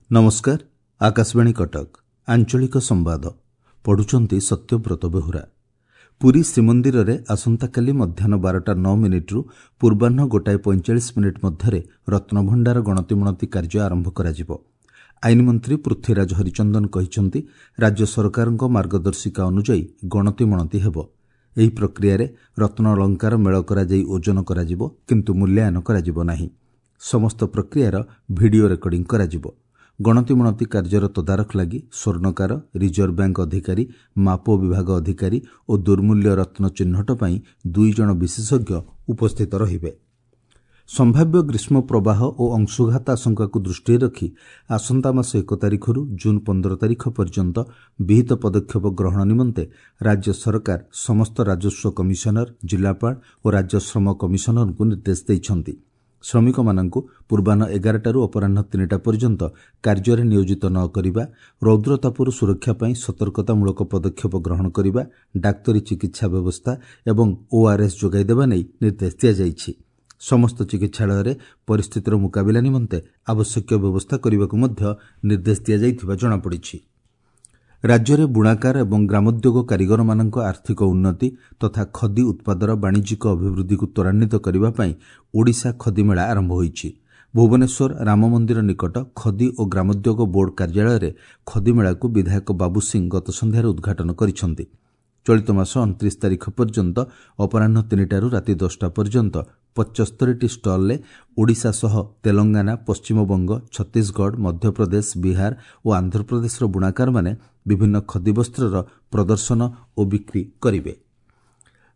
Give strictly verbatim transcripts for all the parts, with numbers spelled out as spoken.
ନମସ୍କାର ଆକାଶବାଣୀ କଟକ ଆଞ୍ଚଳିକ ସମ୍ବାଦ ପଢୁଛନ୍ତି ସତ୍ୟବ୍ରତ ବେହୁରା ପୁରୀ ଶ୍ରୀମନ୍ଦିରରେ ଆସନ୍ତାକାଲି ମଧ୍ୟାହ୍ନ ବାରଟା ନଅ ମିନିଟ୍ରୁ ପୂର୍ବାହ୍ନ ଗୋଟାଏ ପଇଁଚାଳିଶ ମିନିଟ୍ ମଧ୍ୟରେ ରତ୍ନଭଣ୍ଡାର ଗଣତିମଣତି କାର୍ଯ୍ୟ ଆରମ୍ଭ କରାଯିବ ଆଇନମନ୍ତ୍ରୀ ପୃଥ୍ୱୀରାଜ ହରିଚନ୍ଦନ କହିଛନ୍ତି ରାଜ୍ୟ ସରକାରଙ୍କ ମାର୍ଗଦର୍ଶିକା ଅନୁଯାୟୀ ଗଣତିମଣତି ହେବ ଏହି ପ୍ରକ୍ରିୟାରେ ରତ୍ନ ଅଳଙ୍କାର ମେଳ କରାଯାଇ ଓଜନ କରାଯିବ କିନ୍ତୁ ମୂଲ୍ୟାୟନ କରାଯିବ ନାହିଁ ସମସ୍ତ ପ୍ରକ୍ରିୟାର ଭିଡିଓ ରେକର୍ଡିଂ କରାଯିବ ଗଣତିମଣତି କାର୍ଯ୍ୟର ତଦାରଖ ଲାଗି ସ୍ୱର୍ଣ୍ଣକାର ରିଜର୍ଭ ବ୍ୟାଙ୍କ ଅଧିକାରୀ ମାପ ବିଭାଗ ଅଧିକାରୀ ଓ ଦୁର୍ମୂଲ୍ୟ ରତ୍ନ ଚିହ୍ନଟ ପାଇଁ ଦୁଇ ଜଣ ବିଶେଷଜ୍ଞ ଉପସ୍ଥିତ ରହିବେ ସମ୍ଭାବ୍ୟ ଗ୍ରୀଷ୍ମ ପ୍ରବାହ ଓ ଅଂଶୁଘାତ ଆଶଙ୍କାକୁ ଦୃଷ୍ଟିରେ ରଖି ଆସନ୍ତା ମାସ ଏକ ତାରିଖରୁ ଜୁନ୍ ପନ୍ଦର ତାରିଖ ପର୍ଯ୍ୟନ୍ତ ବିହିତ ପଦକ୍ଷେପ ଗ୍ରହଣ ନିମନ୍ତେ ରାଜ୍ୟ ସରକାର ସମସ୍ତ ରାଜସ୍ୱ କମିଶନର ଜିଲ୍ଲାପାଳ ଓ ରାଜ୍ୟ ଶ୍ରମ କମିଶନରଙ୍କୁ ନିର୍ଦ୍ଦେଶ ଦେଇଛନ୍ତି ଶ୍ରମିକମାନଙ୍କୁ ପୂର୍ବାହ୍ନ ଏଗାରଟାରୁ ଅପରାହ୍ନ ତିନିଟା ପର୍ଯ୍ୟନ୍ତ କାର୍ଯ୍ୟରେ ନିୟୋଜିତ ନ କରିବା ରୌଦ୍ରତାପରୁ ସୁରକ୍ଷା ପାଇଁ ସତର୍କତାମୂଳକ ପଦକ୍ଷେପ ଗ୍ରହଣ କରିବା ଡାକ୍ତରୀ ଚିକିତ୍ସା ବ୍ୟବସ୍ଥା ଏବଂ ଓଆର୍ଏସ୍ ଯୋଗାଇ ଦେବା ନେଇ ନିର୍ଦ୍ଦେଶ ଦିଆଯାଇଛି ସମସ୍ତ ଚିକିତ୍ସାଳୟରେ ପରିସ୍ଥିତିର ମୁକାବିଲା ନିମନ୍ତେ ଆବଶ୍ୟକୀୟ ବ୍ୟବସ୍ଥା କରିବାକୁ ମଧ୍ୟ ନିର୍ଦ୍ଦେଶ ଦିଆଯାଇଥିବା ଜଣାପଡ଼ିଛି ରାଜ୍ୟରେ ବୁଣାକାର ଏବଂ ଗ୍ରାମୋଦ୍ୟୋଗ କାରିଗରମାନଙ୍କ ଆର୍ଥିକ ଉନ୍ନତି ତଥା ଖଦି ଉତ୍ପାଦର ବାଣିଜ୍ୟିକ ଅଭିବୃଦ୍ଧିକୁ ତ୍ୱରାନ୍ୱିତ କରିବା ପାଇଁ ଓଡ଼ିଶା ଖଦି ମେଳା ଆରମ୍ଭ ହୋଇଛି ଭୁବନେଶ୍ୱର ରାମମନ୍ଦିର ନିକଟ ଖଦି ଓ ଗ୍ରାମୋଦ୍ୟୋଗ ବୋର୍ଡ କାର୍ଯ୍ୟାଳୟରେ ଖଦି ମେଳାକୁ ବିଧାୟକ ବାବୁ ସିଂ ଗତ ସନ୍ଧ୍ୟାରେ ଉଦ୍ଘାଟନ କରିଛନ୍ତି ଚଳିତ ମାସ ଅଣତିରିଶ ତାରିଖ ପର୍ଯ୍ୟନ୍ତ ଅପରାହ୍ନ ତିନିଟାରୁ ରାତି ଦଶଟା ପର୍ଯ୍ୟନ୍ତ ପଚସ୍ତରୀଟି ଷ୍ଟଲ୍ରେ ଓଡ଼ିଶା ସହ ତେଲଙ୍ଗାନା ପଶ୍ଚିମବଙ୍ଗ ଛତିଶଗଡ଼ ମଧ୍ୟପ୍ରଦେଶ ବିହାର ଓ ଆନ୍ଧ୍ରପ୍ରଦେଶର ବୁଣାକାରମାନେ ବିଭିନ୍ନ ଖଦି ବସ୍ତ୍ରର ପ୍ରଦର୍ଶନ ଓ ବିକ୍ରି କରିବେ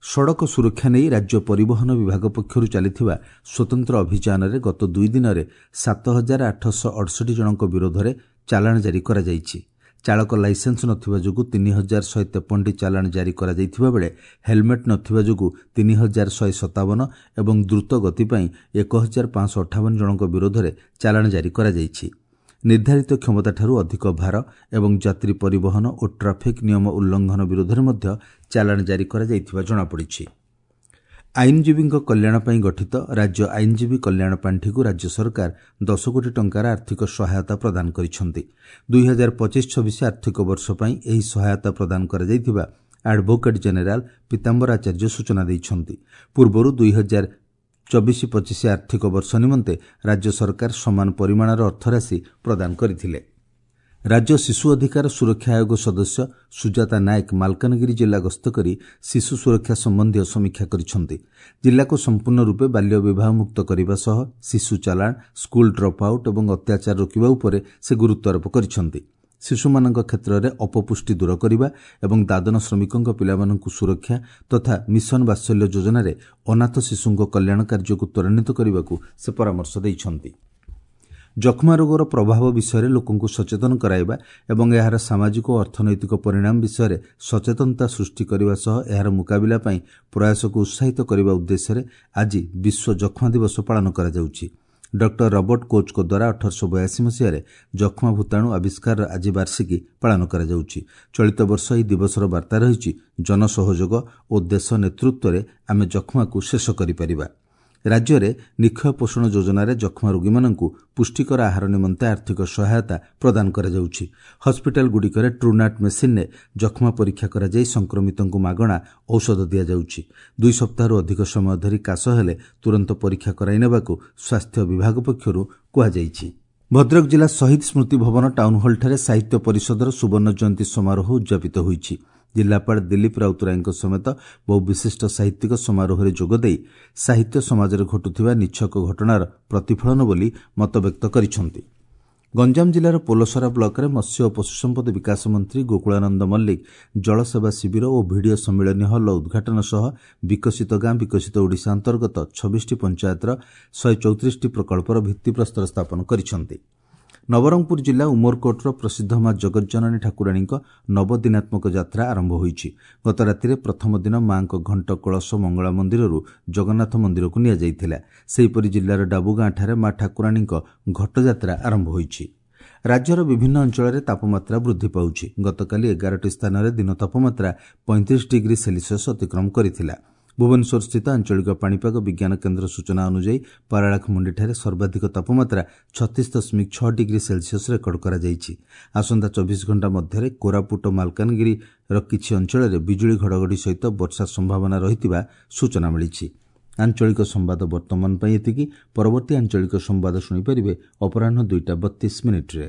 ସଡ଼କ ସୁରକ୍ଷା ନେଇ ରାଜ୍ୟ ପରିବହନ ବିଭାଗ ପକ୍ଷରୁ ଚାଲିଥିବା ସ୍ୱତନ୍ତ୍ର ଅଭିଯାନରେ ଗତ ଦୁଇ ଦିନରେ ସାତ ହଜାର ଆଠଶହ ଅଠଷଠି ଜଣଙ୍କ ବିରୋଧରେ ଚାଲାଣ ଜାରି କରାଯାଇଛି ଚାଳକ ଲାଇସେନ୍ସ ନଥିବା ଯୋଗୁଁ ତିନି ହଜାର ଶହେ ତେପନଟି ଚାଲାଣ ଜାରି କରାଯାଇଥିବା ବେଳେ ହେଲମେଟ୍ ନଥିବା ଯୋଗୁଁ ତିନି ହଜାର ଶହେ ସତାବନ ଏବଂ ଦ୍ରୁତ ଗତି ପାଇଁ ଏକ ହଜାର ପାଞ୍ଚଶହ ଅଠାବନ ଜଣଙ୍କ ବିରୋଧରେ ଚାଲାଣ ଜାରି କରାଯାଇଛି ନିର୍ଦ୍ଧାରିତ କ୍ଷମତାଠାରୁ ଅଧିକ ଭାର ଏବଂ ଯାତ୍ରୀ ପରିବହନ ଓ ଟ୍ରାଫିକ୍ ନିୟମ ଉଲ୍ଲଂଘନ ବିରୋଧରେ ମଧ୍ୟ ଚାଲାଣ ଜାରି କରାଯାଇଥିବା ଜଣାପଡ଼ିଛି ଆଇନଜୀବୀଙ୍କ କଲ୍ୟାଣ ପାଇଁ ଗଠିତ ରାଜ୍ୟ ଆଇନଜୀବୀ କଲ୍ୟାଣ ପାଣ୍ଠିକୁ ରାଜ୍ୟ ସରକାର ଦଶ କୋଟି ଟଙ୍କାର ଆର୍ଥିକ ସହାୟତା ପ୍ରଦାନ କରିଛନ୍ତି ଦୁଇ ହଜାର ପଚିଶ ଛବିଶ ଆର୍ଥିକ ବର୍ଷ ପାଇଁ ଏହି ସହାୟତା ପ୍ରଦାନ କରାଯାଇଥିବା ଆଡଭୋକେଟ୍ ଜେନେରାଲ ପୀତାମ୍ବର ଆଚାର୍ଯ୍ୟ ସୂଚନା ଦେଇଛନ୍ତି ପୂର୍ବରୁ ଦୁଇ ହଜାର ଚବିଶ ପଚିଶ ଆର୍ଥିକ ବର୍ଷ ନିମନ୍ତେ ରାଜ୍ୟ ସରକାର ସମାନ ପରିମାଣର ଅର୍ଥରାଶି ପ୍ରଦାନ କରିଥିଲେ ରାଜ୍ୟ ଶିଶୁ ଅଧିକାର ସୁରକ୍ଷା ଆୟୋଗ ସଦସ୍ୟ ସୁଜାତା ନାୟକ ମାଲକାନଗିରି ଜିଲ୍ଲା ଗସ୍ତ କରି ଶିଶୁ ସୁରକ୍ଷା ସମ୍ବନ୍ଧୀୟ ସମୀକ୍ଷା କରିଛନ୍ତି ଜିଲ୍ଲାକୁ ସମ୍ପୂର୍ଣ୍ଣ ରୂପେ ବାଲ୍ୟ ବିବାହ ମୁକ୍ତ କରିବା ସହ ଶିଶୁ ଚାଲାଣ ସ୍କୁଲ ଡ୍ରପ୍ ଆଉଟ୍ ଏବଂ ଅତ୍ୟାଚାର ରୋକିବା ଉପରେ ସେ ଗୁରୁତ୍ୱାରୋପ କରିଛନ୍ତି ଶିଶୁମାନଙ୍କ କ୍ଷେତ୍ରରେ ଅପପୁଷ୍ଟି ଦୂର କରିବା ଏବଂ ଦାଦନ ଶ୍ରମିକଙ୍କ ପିଲାମାନଙ୍କୁ ସୁରକ୍ଷା ତଥା ମିଶନ ବାତ୍ସଲ୍ୟ ଯୋଜନାରେ ଅନାଥ ଶିଶୁଙ୍କ କଲ୍ୟାଣ କାର୍ଯ୍ୟକୁ ତ୍ୱରାନ୍ୱିତ କରିବାକୁ ସେ ପରାମର୍ଶ ଦେଇଛନ୍ତି ଯକ୍ଷ୍ମା ରୋଗର ପ୍ରଭାବ ବିଷୟରେ ଲୋକଙ୍କୁ ସଚେତନ କରାଇବା ଏବଂ ଏହାର ସାମାଜିକ ଓ ଅର୍ଥନୈତିକ ପରିଣାମ ବିଷୟରେ ସଚେତନତା ସୃଷ୍ଟି କରିବା ସହ ଏହାର ମୁକାବିଲା ପାଇଁ ପ୍ରୟାସକୁ ଉତ୍ସାହିତ କରିବା ଉଦ୍ଦେଶ୍ୟରେ ଆଜି ବିଶ୍ୱ ଯକ୍ଷ୍ମା ଦିବସ ପାଳନ କରାଯାଉଛି ଡକ୍ଟର ରବର୍ଟ କୋଚ୍ଙ୍କ ଦ୍ୱାରା ଅଠରଶହ ବୟାଅଶୀ ମସିହାରେ ଯକ୍ଷ୍ମା ଭୂତାଣୁ ଆବିଷ୍କାରର ଆଜି ବାର୍ଷିକୀ ପାଳନ କରାଯାଉଛି ଚଳିତ ବର୍ଷ ଏହି ଦିବସର ବାର୍ତ୍ତା ରହିଛି ଜନସହଯୋଗ ଓ ଦେଶ ନେତୃତ୍ୱରେ ଆମେ ଯକ୍ଷ୍ମାକୁ ଶେଷ କରିପାରିବା ରାଜ୍ୟରେ ନିକ୍ଷୟ ପୋଷଣ ଯୋଜନାରେ ଯକ୍ଷ୍ମା ରୋଗୀମାନଙ୍କୁ ପୁଷ୍ଟିକର ଆହାର ନିମନ୍ତେ ଆର୍ଥିକ ସହାୟତା ପ୍ରଦାନ କରାଯାଉଛି ହସ୍ପିଟାଲଗୁଡ଼ିକରେ ଟ୍ରୁନାଟ୍ ମେସିନ୍ରେ ଯକ୍ଷ୍ମା ପରୀକ୍ଷା କରାଯାଇ ସଂକ୍ରମିତଙ୍କୁ ମାଗଣା ଔଷଧ ଦିଆଯାଉଛି ଦୁଇ ସପ୍ତାହରୁ ଅଧିକ ସମୟ ଧରି କାଶ ହେଲେ ତୁରନ୍ତ ପରୀକ୍ଷା କରାଇ ନେବାକୁ ସ୍ୱାସ୍ଥ୍ୟ ବିଭାଗ ପକ୍ଷରୁ କୁହାଯାଇଛି ଭଦ୍ରକ ଜିଲ୍ଲା ଶହୀଦ ସ୍ମୃତି ଭବନ ଟାଉନହଲଠାରେ ସାହିତ୍ୟ ପରିଷଦର ସୁବର୍ଣ୍ଣ ଜୟନ୍ତୀ ସମାରୋହ ଉଦ୍ଯାପିତ ହୋଇଛି ଜିଲ୍ଲାପାଳ ଦିଲ୍ଲୀପ ରାଉତରାୟଙ୍କ ସମେତ ବହୁ ବିଶିଷ୍ଟ ସାହିତ୍ୟିକ ସମାରୋହରେ ଯୋଗଦେଇ ସାହିତ୍ୟ ସମାଜରେ ଘଟୁଥିବା ନିଛକ ଘଟଣାର ପ୍ରତିଫଳନ ବୋଲି ମତବ୍ୟକ୍ତ କରିଛନ୍ତି ଗଞ୍ଜାମ ଜିଲ୍ଲାର ପୋଲସରା ବ୍ଲକରେ ମତ୍ସ୍ୟ ଓ ପଶୁସମ୍ପଦ ବିକାଶ ମନ୍ତ୍ରୀ ଗୋକୁଳାନନ୍ଦ ମଲ୍ଲିକ ଜଳସେବା ଶିବିର ଓ ଭିଡ଼ିଓ ସମ୍ମିଳନୀ ହଲ୍ର ଉଦ୍ଘାଟନ ସହ ବିକଶିତ ଗାଁ ବିକଶିତ ଓଡ଼ିଶା ଅନ୍ତର୍ଗତ ଛବିଶଟି ପଞ୍ଚାୟତର ଶହେ ଚଉତିରିଶଟି ପ୍ରକଳ୍ପର ଭିତ୍ତିପ୍ରସ୍ତର ସ୍ଥାପନ କରିଛନ୍ତି ନବରଙ୍ଗପୁର ଜିଲ୍ଲା ଉମରକୋଟର ପ୍ରସିଦ୍ଧ ମା ଜଗଜ୍ଜନନୀ ଠାକୁରାଣୀଙ୍କ ନବଦିନାତ୍ମକ ଯାତ୍ରା ଆରମ୍ଭ ହୋଇଛି ଗତ ରାତିରେ ପ୍ରଥମ ଦିନ ମାଙ୍କ ଘଣ୍ଟ କଳସ ମଙ୍ଗଳା ମନ୍ଦିରରୁ ଜଗନ୍ନାଥ ମନ୍ଦିରକୁ ନିଆଯାଇଥିଲା ସେହିପରି ଜିଲ୍ଲାର ଡାବୁଗାଁଠାରେ ମା ଠାକୁରାଣୀଙ୍କ ଘଟଯାତ୍ରା ଆରମ୍ଭ ହୋଇଛି ରାଜ୍ୟର ବିଭିନ୍ନ ଅଞ୍ଚଳରେ ତାପମାତ୍ରା ବୃଦ୍ଧି ପାଉଛି ଗତକାଲି ଏଗାରଟି ସ୍ଥାନରେ ଦିନ ତାପମାତ୍ରା ପଇଁତିରିଶ ଡିଗ୍ରୀ ସେଲସିୟସ୍ ଅତିକ୍ରମ କରିଥିଲା ଭୁବନେଶ୍ୱରସ୍ଥିତ ଆଞ୍ଚଳିକ ପାଣିପାଗ ବିଜ୍ଞାନ କେନ୍ଦ୍ର ସୂଚନା ଅନୁଯାୟୀ ପାରଳାଖେମୁଣ୍ଡିଠାରେ ସର୍ବାଧିକ ତାପମାତ୍ରା ଛତିଶ ଦଶମିକ ଛଅ ଡିଗ୍ରୀ ସେଲସିୟସ୍ ରେକର୍ଡ କରାଯାଇଛି। ଆସନ୍ତା ଚବିଶ ଘଣ୍ଟା ମଧ୍ୟରେ କୋରାପୁଟ ଓ ମାଲକାନଗିରିର କିଛି ଅଞ୍ଚଳରେ ବିଜୁଳି ଘଡ଼ଘଡ଼ି ସହିତ ବର୍ଷା ସମ୍ଭାବନା ରହିଥିବା ସୂଚନା ମିଳିଛି। ଆଞ୍ଚଳିକ ସମ୍ବାଦ ବର୍ତ୍ତମାନ ପାଇଁ ଏତିକି। ପରବର୍ତ୍ତୀ ଆଞ୍ଚଳିକ ସମ୍ବାଦ ଶୁଣିପାରିବେ ଅପରାହ୍ନ ଦୁଇଟା ବତିଶ ମିନିଟ୍ରେ।